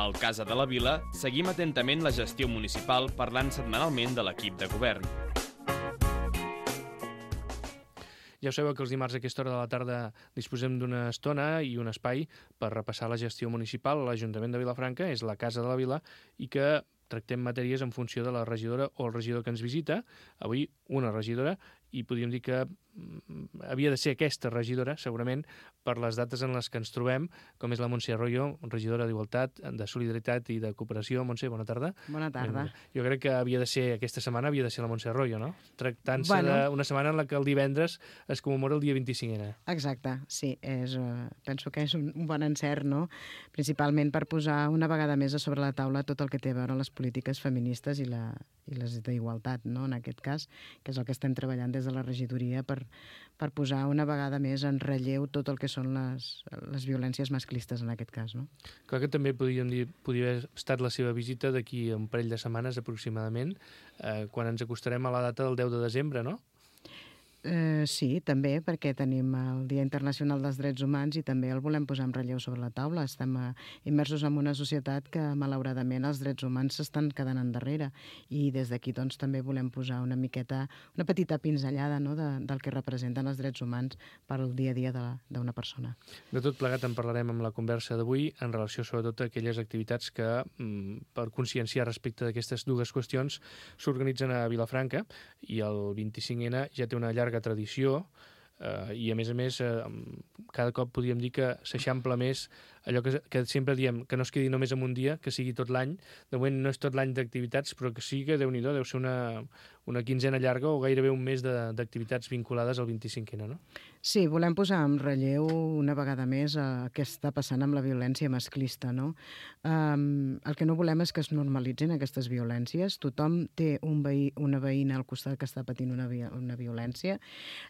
Al Casa de la Vila seguim atentament la gestió municipal parlant setmanalment de l'equip de govern. Ja ho sabeu que els dimarts a aquesta hora de la tarda disposem d'una estona i un espai per repassar la gestió municipal a l'Ajuntament de Vilafranca, és la Casa de la Vila, i que tractem matèries en funció de la regidora o el regidor que ens visita. Avui una regidora, i podríem dir que havia de ser aquesta regidora, segurament, per les dates en les que ens trobem, com és la Montse Arroyo, regidora d'Igualtat, de Solidaritat i de Cooperació. Montse, bona tarda. Bona tarda. Jo crec que havia de ser, aquesta setmana havia de ser la Montse Arroyo, no? Tractant-se d'una setmana en la que el divendres es commemora el dia 25ena. Exacte, sí. Penso que és un bon encert, no? Principalment per posar una vegada més a sobre la taula tot el que té a veure amb les polítiques feministes i les d'igualtat, no? En aquest cas, que és el que estem treballant des de la regidoria per posar una vegada més en relleu tot el que són les violències masclistes en aquest cas, no? Clar que també podríem dir, podria haver estat la seva visita d'aquí a un parell de setmanes aproximadament, quan ens acostarem a la data del 10 de desembre, no? Sí, també, perquè tenim el Dia Internacional dels Drets Humans i també el volem posar en relleu sobre la taula. Estem immersos en una societat que, malauradament, els drets humans s'estan quedant endarrere i des d'aquí doncs, també volem posar una petita pinzellada, no?, del que representen els drets humans per al dia a dia d'una persona. De tot plegat en parlarem amb la conversa d'avui en relació sobretot a aquelles activitats que, per conscienciar respecte d'aquestes dues qüestions, s'organitzen a Vilafranca, i el 25N ja té una llarga tradició, i a més cada cop podríem dir que s'eixampla més allò que sempre diem, que no es quedi només en un dia, que sigui tot l'any. De moment no és tot l'any d'activitats, però que sí que, Déu-n'hi-do, deu ser una quinzena llarga o gairebé un mes d'activitats vinculades al 25N, no? Sí, volem posar en relleu una vegada més què està passant amb la violència masclista, no? El que no volem és que es normalitzin aquestes violències. Tothom té una veïna al costat que està patint una violència.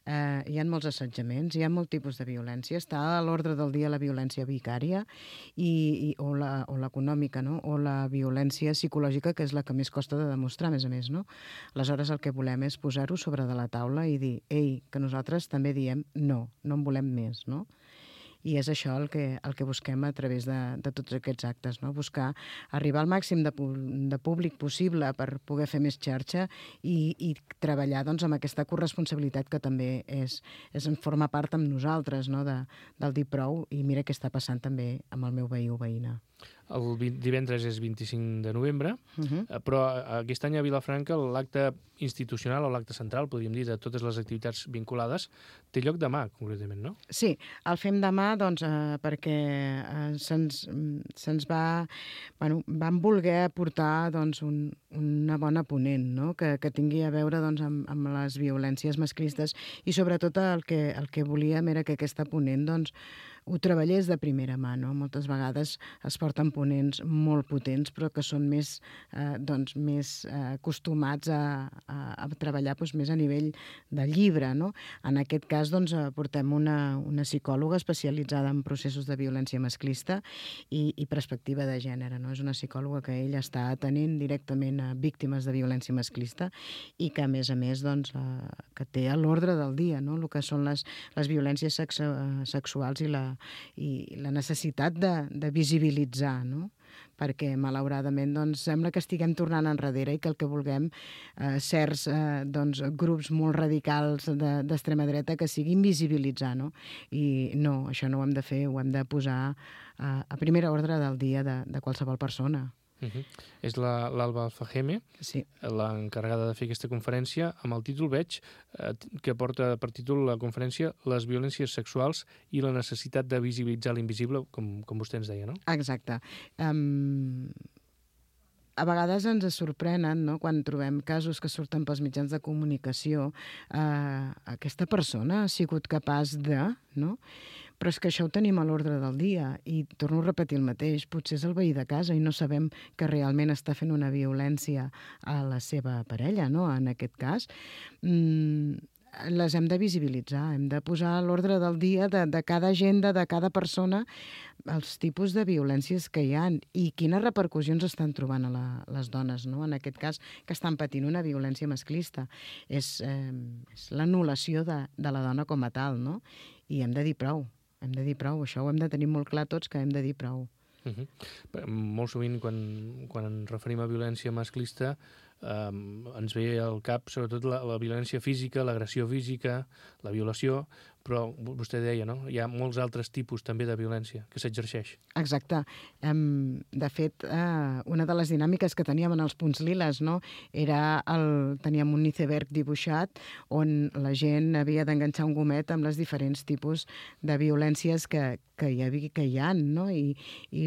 Hi ha molts assetjaments, hi ha molt tipus de violència. Està a l'ordre del dia la violència vicària o l'econòmica, no? O la violència psicològica, que és la que més costa de demostrar, a més, no? Aleshores, el que volem és posar-ho sobre de la taula i dir, ei, que nosaltres també diem no en volem més, no? I és això el que busquem a través de tots aquests actes, no? Buscar arribar al màxim de públic possible per poder fer més xarxa i treballar doncs, amb aquesta corresponsabilitat que també en forma part amb nosaltres, no? Del dir prou, i mira què està passant també amb el meu veí o veïna. El divendres és 25 de novembre, però aquest any a Vilafranca l'acte institucional o l'acte central, podríem dir, de totes les activitats vinculades, té lloc demà, concretament, no? Sí, el fem demà perquè se'ns va... vam voler aportar una bona ponent, no? Que tingui a veure amb les violències masclistes, i sobretot el que volíem era que aquesta ponent ho treballés de primera mà, no? Moltes vegades es porten ponents molt potents, però que són més acostumats a treballar més a nivell de llibre, no? En aquest cas portem una psicòloga especialitzada en processos de violència masclista i perspectiva de gènere, no? És una psicòloga que ella està atenent directament a víctimes de violència masclista i que, a més, que té a l'ordre del dia, no? El que són les violències sexuals i la necessitat de visibilitzar, no? Perquè, malauradament, sembla que estiguem tornant enrere i que el que vulguem certs grups molt radicals d'extrema dreta que siguin visibilitzar, no? I no, això no ho hem de fer, ho hem de posar a primera ordre del dia de qualsevol persona. És l'Alba Alfajeme, sí, l'encarregada de fer aquesta conferència, amb el títol, veig, que porta per títol la conferència Les violències sexuals i la necessitat de visibilitzar l'invisible, com vostè ens deia, no? Exacte. A vegades ens sorprenen, no?, quan trobem casos que surten pels mitjans de comunicació. Aquesta persona ha sigut capaç de... no? Però és que això ho tenim a l'ordre del dia i torno a repetir el mateix, potser és el veí de casa i no sabem que realment està fent una violència a la seva parella, no?, en aquest cas. Les hem de visibilitzar, hem de posar a l'ordre del dia de cada agenda, de cada persona, els tipus de violències que hi ha i quines repercussions estan trobant a les dones, no?, en aquest cas, que estan patint una violència masclista. És l'anul·lació de la dona com a tal, no? I hem de dir prou, això ho hem de tenir molt clar tots, que hem de dir prou. Molt sovint, quan ens referim a violència masclista, ens ve al cap sobretot la violència física, l'agressió física, la violació, però vostè deia, no? Hi ha molts altres tipus també de violència que s'exerceix. Exacte. De fet, una de les dinàmiques que teníem en els punts liles, no? Teníem un iceberg dibuixat on la gent havia d'enganxar un gomet amb les diferents tipus de violències que hi ha, no? I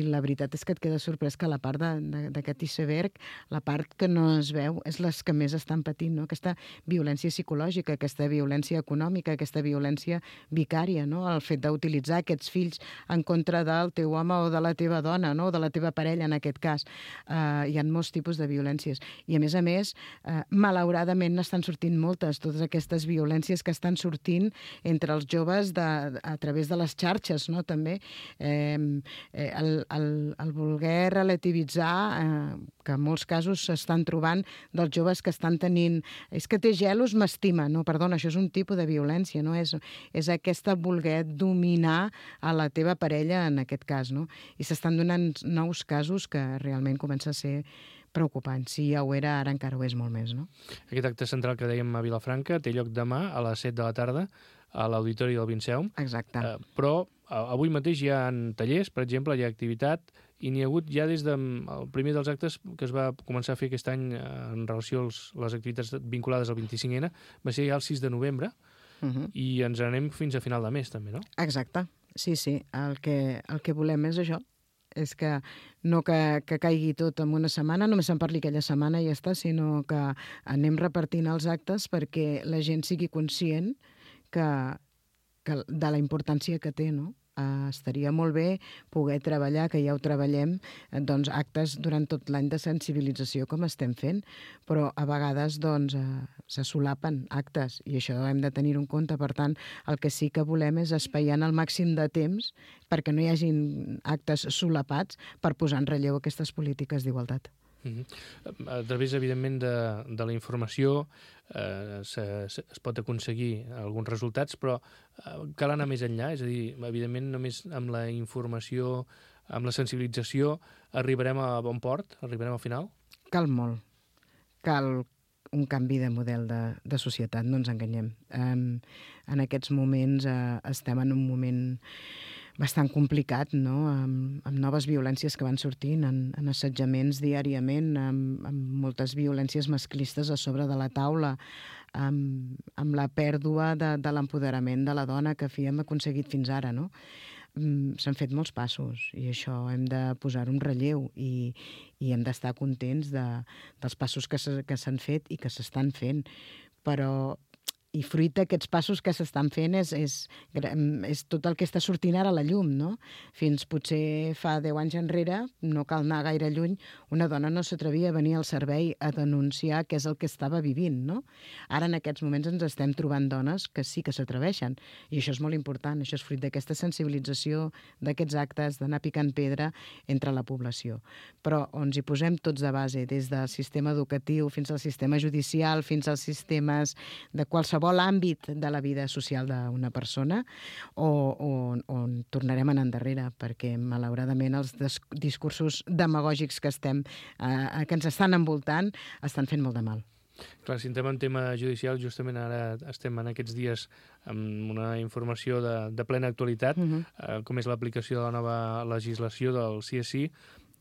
la veritat és que et queda sorprès que la part d'aquest iceberg, la part que no es veu, és les que més estan patint, no? Aquesta violència psicològica, aquesta violència econòmica, aquesta violència vicària, no? El fet d'utilitzar aquests fills en contra del teu home o de la teva dona, no? O de la teva parella, en aquest cas. Hi ha molts tipus de violències. I, a més, malauradament n'estan sortint moltes, totes aquestes violències que estan sortint entre els joves a través de les xarxes, no? També el voler relativitzar, que en molts casos s'estan trobant dels joves que estan tenint... És que té gelos, m'estima. No, perdona, això és un tipus de violència, no? És aquesta voler dominar a la teva parella, en aquest cas, no? I s'estan donant nous casos que realment comença a ser preocupant. Si ja ho era, ara encara ho és molt més, no? Aquest acte central que dèiem a Vilafranca té lloc demà a les 7 de la tarda a l'Auditori del Vinceum. Exacte. Però avui mateix hi ha tallers, per exemple, hi ha activitat, i n'hi ha hagut ja des del primer dels actes que es va començar a fer aquest any en relació a les activitats vinculades al 25N, va ser ja el 6 de novembre, i ens anem fins a final de mes, també, no? Exacte. Sí. El que volem és això. És que no que caigui tot en una setmana, només se'n parli aquella setmana i ja està, sinó que anem repartint els actes perquè la gent sigui conscient de la importància que té, no? Estaria molt bé poder treballar, que ja ho treballem, doncs, actes durant tot l'any de sensibilització com estem fent, però a vegades doncs, se solapen actes i això hem de tenir en compte. Per tant, el que sí que volem és espaiar el màxim de temps perquè no hi hagin actes solapats per posar en relleu aquestes polítiques d'igualtat. A través, evidentment, de la informació es pot aconseguir alguns resultats, però cal anar més enllà, és a dir, evidentment només amb la informació, amb la sensibilització, arribarem a bon port, arribarem al final? Cal molt. Cal un canvi de model de societat, no ens enganyem. En aquests moments estem en un moment bastant complicat, no? Amb noves violències que van sortint, en assetjaments diàriament, amb moltes violències masclistes a sobre de la taula, amb la pèrdua de l'empoderament de la dona que hem aconseguit fins ara, no? S'han fet molts passos i això hem de posar-ho en relleu i hem d'estar contents dels passos que s'han fet i que s'estan fent. Però i fruit d'aquests passos que s'estan fent és tot el que està sortint ara a la llum, no? Fins potser fa 10 anys enrere, no cal anar gaire lluny, una dona no s'atrevia a venir al servei a denunciar què és el que estava vivint, no? Ara en aquests moments ens estem trobant dones que sí que s'atreveixen i això és molt important, això és fruit d'aquesta sensibilització, d'aquests actes, d'anar picant pedra entre la població. Però on hi posem tots de base, des del sistema educatiu fins al sistema judicial, fins als sistemes de qualsevol àmbit de la vida social d'una persona, on tornarem a anar endarrere, perquè malauradament els discursos demagògics que ens estan envoltant estan fent molt de mal. Clar, si entrem en tema judicial, justament ara estem en aquests dies amb una informació de plena actualitat, com és l'aplicació de la nova legislació del CSI,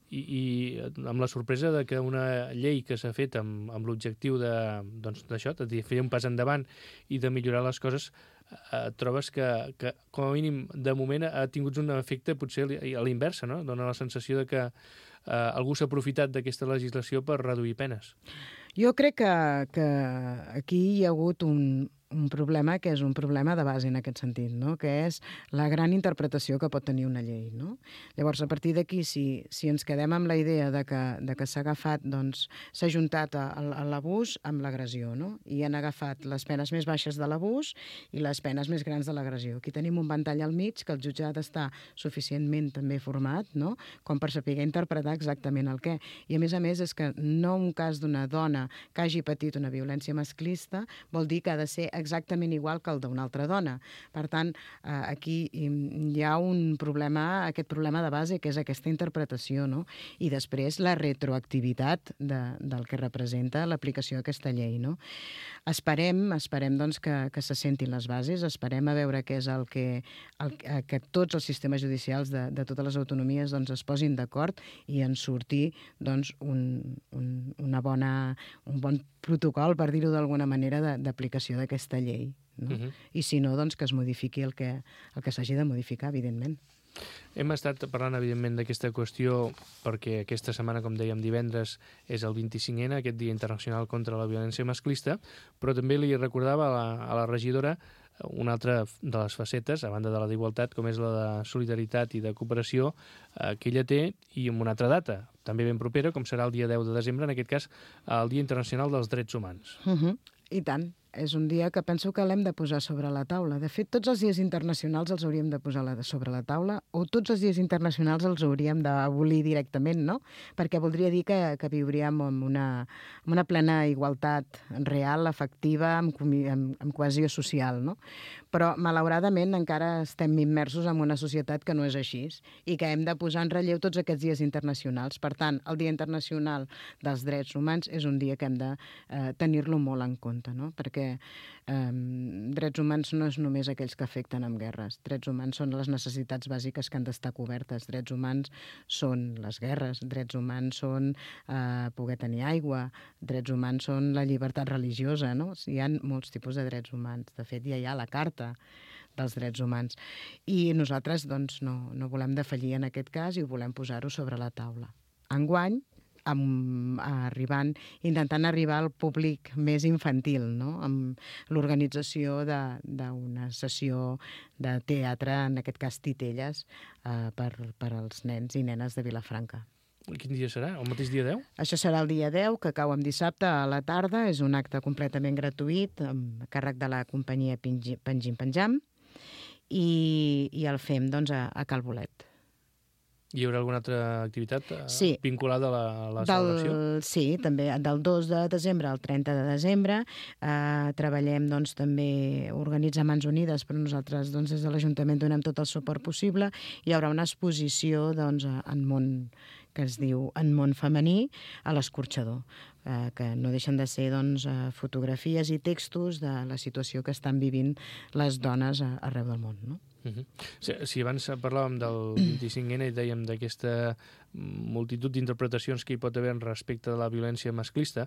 i amb la sorpresa de que una llei que s'ha fet amb l'objectiu d'això, de fer un pas endavant i de millorar les coses, trobes que com a mínim de moment ha tingut un efecte potser a l'inversa, no? Dona la sensació de que algú s'ha aprofitat d'aquesta legislació per reduir penes. Jo crec que aquí hi ha hagut un problema que és un problema de base en aquest sentit, no? Que és la gran interpretació que pot tenir una llei, no? Llavors, a partir d'aquí, si ens quedem amb la idea de que s'ha agafat, doncs, s'ha juntat l'abús amb l'agressió, no? I han agafat les penes més baixes de l'abús i les penes més grans de l'agressió. Aquí tenim un ventall al mig que el jutjat està suficientment també format, no? Com per saber interpretar exactament el què. I a més és que no un cas d'una dona que hagi patit una violència masclista vol dir que ha de ser exactament igual que el d'una altra dona. Per tant, aquí hi ha aquest problema de base, que és aquesta interpretació, no? I després la retroactivitat del que representa l'aplicació d'aquesta llei, no? Esperem doncs, que se sentin les bases, esperem a veure què és que tots els sistemes judicials de totes les autonomies doncs, es posin d'acord i en surti doncs, un bon protocol, per dir-ho d'alguna manera, d'aplicació d'aquesta llei. No? I si no, doncs que es modifiqui el que s'hagi de modificar, evidentment. Hem estat parlant, evidentment, d'aquesta qüestió perquè aquesta setmana, com dèiem, divendres és el 25N, aquest Dia Internacional contra la Violència Masclista, però també li recordava a la regidora una altra de les facetes, a banda de la d'igualtat, com és la de solidaritat i de cooperació, que ella té, i amb una altra data, també ben propera, com serà el dia 10 de desembre, en aquest cas, el Dia Internacional dels Drets Humans. I tant. És un dia que penso que l'hem de posar sobre la taula. De fet, tots els dies internacionals els hauríem de posar sobre la taula, o tots els dies internacionals els hauríem d'abolir directament, no? Perquè voldria dir que viuríem amb una plena igualtat real, efectiva, amb cohesió social, no? Però, malauradament, encara estem immersos en una societat que no és així i que hem de posar en relleu tots aquests dies internacionals. Per tant, el Dia Internacional dels Drets Humans és un dia que hem de tenir-lo molt en compte, no? Perquè drets humans no és només aquells que afecten amb guerres. Drets humans són les necessitats bàsiques que han d'estar cobertes. Drets humans són les guerres. Drets humans són poder tenir aigua. Drets humans són la llibertat religiosa, no? Hi ha molts tipus de drets humans. De fet, ja hi ha la Carta dels Drets Humans. I nosaltres doncs, no volem defallir en aquest cas i ho volem posar-ho sobre la taula. Enguany, intentant arribar al públic més infantil, no? Amb l'organització d'una sessió de teatre, en aquest cas Titelles, per als nens i nenes de Vilafranca. Quin dia serà? El mateix dia 10? Això serà el dia 10, que cau en dissabte a la tarda. És un acte completament gratuït, amb càrrec de la companyia Pengim Penjam, i el fem doncs, a Cal Bolet. Hi haurà alguna altra activitat vinculada a la celebració? Sí, també del 2 de desembre al 30 de desembre. Treballem doncs, també organitzar Mans Unides, però nosaltres doncs, des de l'Ajuntament donem tot el suport possible. Hi haurà una exposició doncs, que es diu En món femení, a l'Escorxador, que no deixen de ser doncs, fotografies i textos de la situació que estan vivint les dones arreu del món, no? Si abans parlàvem del 25N i dèiem d'aquesta multitud d'interpretacions que hi pot haver respecte de la violència masclista,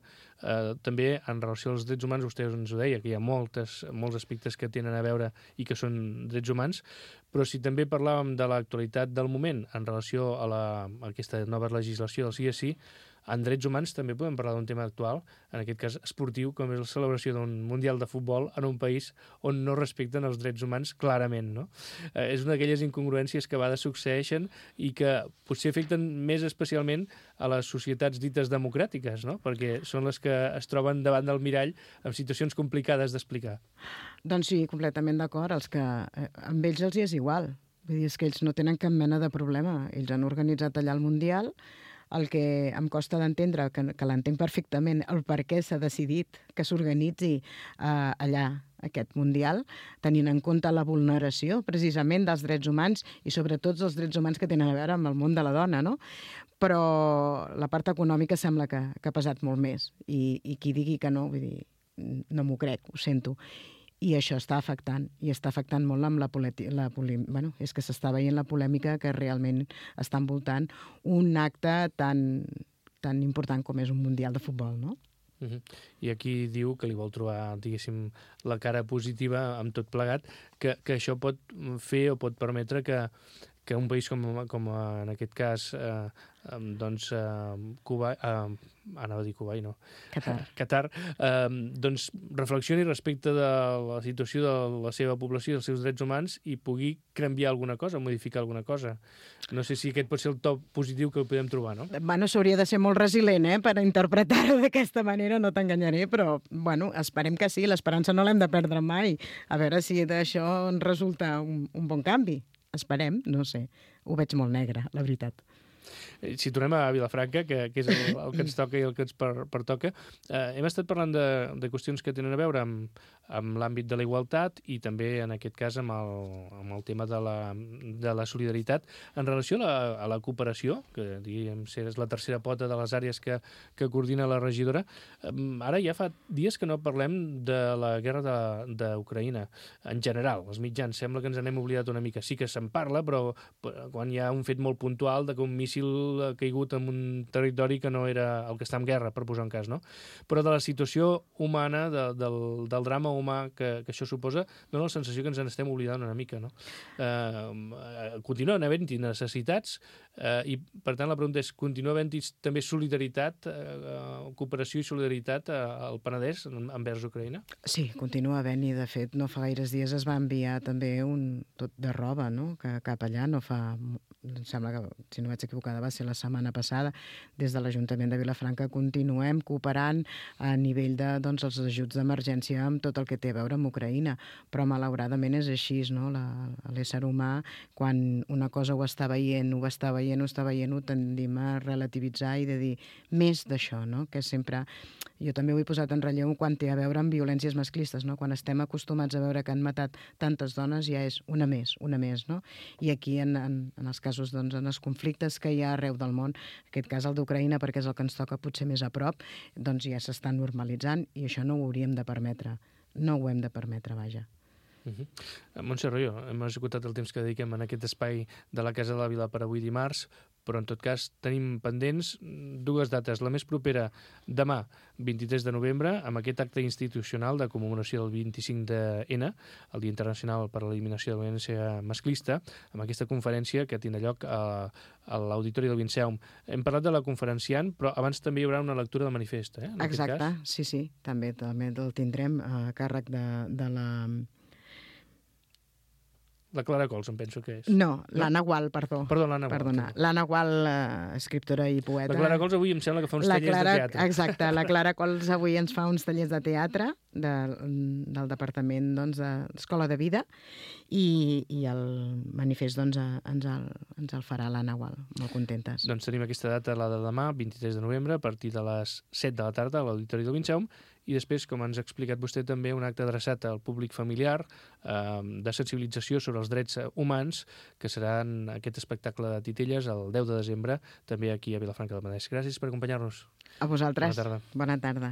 també en relació als drets humans, vostè ens ho deia, que hi ha molts aspectes que tenen a veure i que són drets humans, però si també parlàvem de l'actualitat del moment en relació a aquesta nova legislació del sí és sí, en drets humans també podem parlar d'un tema actual, en aquest cas esportiu, com és la celebració d'un Mundial de Futbol en un país on no respecten els drets humans clarament, no? És una d'aquelles incongruències que a vegades succeeixen i que potser afecten més especialment a les societats dites democràtiques, no? Perquè són les que es troben davant del mirall amb situacions complicades d'explicar. Doncs sí, completament d'acord. Amb ells els hi és igual. Vull dir, és que ells no tenen cap mena de problema. Ells han organitzat allà el Mundial. El que em costa d'entendre, que l'entenc perfectament, el per què s'ha decidit que s'organitzi allà aquest Mundial, tenint en compte la vulneració precisament dels drets humans i sobretot els drets humans que tenen a veure amb el món de la dona, no? Però la part econòmica sembla que ha pesat molt més i qui digui que no, vull dir, no m'ho crec, ho sento. I això està afectant molt amb és que s'està veient la polèmica que realment està envoltant un acte tan important com és un Mundial de Futbol, no? I aquí diu que li vol trobar, diguéssim, la cara positiva amb tot plegat, que això pot fer o pot permetre que un país com en aquest cas doncs Cuba, anava a dir Kuwait, no? Qatar, doncs reflexioni respecte de la situació de la seva població i dels seus drets humans i pugui canviar alguna cosa, modificar alguna cosa. No sé si aquest pot ser el top positiu que podem trobar, no? Bueno, s'hauria de ser molt resilient, per interpretar-ho d'aquesta manera, no t'enganyaré, però, bueno, esperem que sí, l'esperança no l'hem de perdre mai. A veure si d'això en resulta un bon canvi. Esperem, no sé. Ho veig molt negre, la veritat. Si tornem a Vilafranca, que és el que ens toca i el que ens pertoca, hem estat parlant de qüestions que tenen a veure amb l'àmbit de la igualtat i també, en aquest cas, amb el tema de la solidaritat. En relació a la cooperació, que diguem és la tercera pota de les àrees que coordina la regidora, ara ja fa dies que no parlem de la guerra d'Ucraïna. En general, els mitjans sembla que ens n'hem oblidat una mica. Sí que se'n parla, però quan hi ha un fet molt puntual de que un míssil ha caigut en un territori que no era el que està en guerra, per posar un cas, no? Però de la situació humana, del drama humà que això suposa, dona la sensació que ens n'estem oblidant una mica, no? Continuen havent-hi necessitats i, per tant, la pregunta és, continua havent-hi també solidaritat, cooperació i solidaritat al Penedès envers Ucraïna? Sí, continua havent-hi. De fet, no fa gaires dies es va enviar també un tot de roba, no?, cap allà. No fa... Em sembla que, si no vaig equivocada, va ser la setmana passada. Des de l'Ajuntament de Vilafranca continuem cooperant a nivell de, doncs, els ajuts d'emergència amb tot el que té a veure amb Ucraïna. Però, malauradament, és així, no? L'ésser humà, quan una cosa ho està veient, ho tendim a relativitzar i de dir més d'això, no? Que sempre... Jo també ho he posat en relleu quan té a veure amb violències masclistes, no? Quan estem acostumats a veure que han matat tantes dones, ja és una més, no? I aquí, en els casos, doncs, en els conflictes que hi ha arreu del món, en aquest cas el d'Ucraïna, perquè és el que ens toca potser més a prop, doncs ja s'està normalitzant i això no ho hauríem de permetre. No ho hem de permetre, vaja. Montse Royo, hem esgotat el temps que dediquem en aquest espai de la Casa de la Vila per avui dimarts, però en tot cas tenim pendents dues dates. La més propera, demà, 23 de novembre, amb aquest acte institucional de commemoració del 25 de N, el Dia Internacional per a l'Eliminació de la Violència Masclista, amb aquesta conferència que tindrà lloc a l'Auditori del Vinceum. Hem parlat de la conferenciant, però abans també hi haurà una lectura del manifest, en Exacte, aquest cas. sí, també el tindrem a càrrec de la... La Clara Cols, em penso que és. No, l'Anna Gual, perdó. Perdó, l'Anna Gual. Perdona. L'Anna Gual, escriptora i poeta. La Clara Cols avui em sembla que fa uns tallers de teatre. Exacte, la Clara Cols avui ens fa uns tallers de teatre del Departament d'Escola de Vida i el manifest ens el farà l'Anna Gual. Molt contentes. Doncs tenim aquesta data, la de demà, 23 de novembre, a partir de les 7 de la tarda a l'Auditori del Vinceum, i després, com ens ha explicat vostè, també un acte adreçat al públic familiar de sensibilització sobre els drets humans, que seran aquest espectacle de titelles el 10 de desembre, també aquí a Vilafranca del Penedès. Gràcies per acompanyar-nos. A vosaltres. Bona tarda. Bona tarda.